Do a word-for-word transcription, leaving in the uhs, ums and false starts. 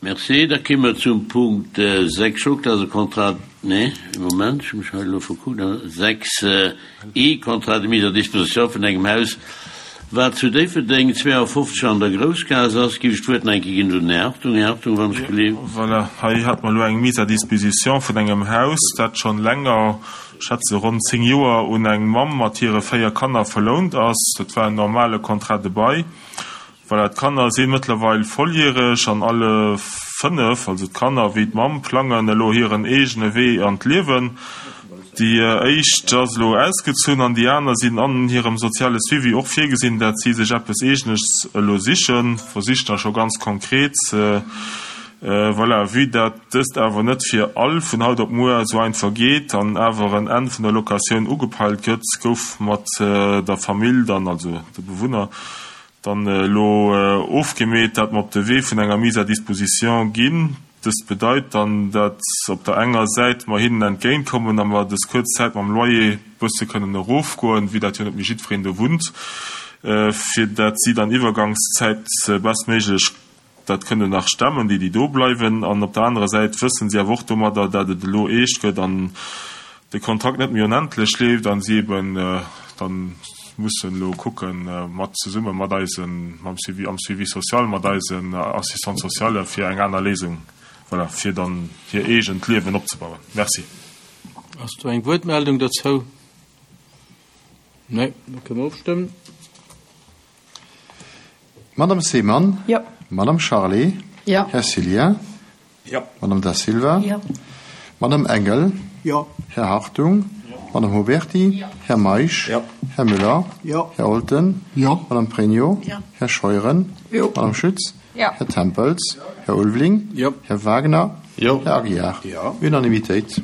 Merci. Da komme mer zum Punkt sechs. Dat ass e Contrat, nee, Moment, ech hu mech hei elo verkuckt, sechs I, Contrat de mise à disposition vun engem Haus, wat zu Déifferdeng zweeanfofzeg an der Groussgaass ass. Giff ech d'Wuert nach eng Kéier ginn un den Här Hartung. Här Hartung, wann ech gelift. Voilà, hei hat mer elo eng Mise à disposition vun engem Haus, dat schonn länger, ech schätze ronn zéng Joer, un eng Mamm mat hire véier Kanner verlount ass. Dat war en normale Contrat de bail. Voilà, d'Kanner si mëttlerweil volljäreg an alle fënnef, also d'Kanner wéi d'Mamm, plangen elo hiren eegene Wee an d'Liewen. Déi éischt ass elo ausgezunn an déi aner sinn an hirem soziale Suivi och virgesinn, dat si sech eppes Eegenes elo sichen, versichen da scho ganz konkret. Voilà, vue dat dëst awer net fir all vun haut op muer esou einfach geet an awer en Enn vun der Locatioun ugepeilt gëtt, gouf mat der Famill dann, also de Bewunner, dann elo ofgemeet, dat mer op de Wee vun enger Mise à disposition ginn. Dëst bedeit dann, dat op der enger Säit mer hinnen entgéintkommen a mer dës kuerz Zäit mam Loyer bësse kënnen erofgoen, vue dat jo net méi jiddwereen do wunnt, fir dat si dann Iwwergangszäit bestméiglech dat kënnen nach stemmen, déi déi do bleiwen. An op der anerer Säit wëssen si awer och domadder, dat et elo eescht gëtt an de Kontrakt net méi onendlech leeft an si eben dann mussen elo kucken, mat zesumme mat eisen, mam Suivi, am Suivi social, mat eisen Assistante sociale fir eng aner Léisung, voilà, fir dann hir eegent Liewen opzebauen. Merci. Ass do eng Wuertmeldung dozou? Nee, da kënne mer ofstëmmen. Madame Seemann? Jo. Madame Charlé? Jo. Här Cillien? Jo. Madame Da Silva? Jo. Madame Engel? Jo. Här Hartung? Jo. Madame Huberty? Jo. Här Meisch? Jo. Här Müller? Jo. Här Olten? Jo. Madame Pregno? Jo. Här Scheuren? Jo. Madame Schütz? Jo. Här Tempels? Här Ulveling? Jo. Här Wagner? Jo. Här Aguiar? Jo. Unanimitéit.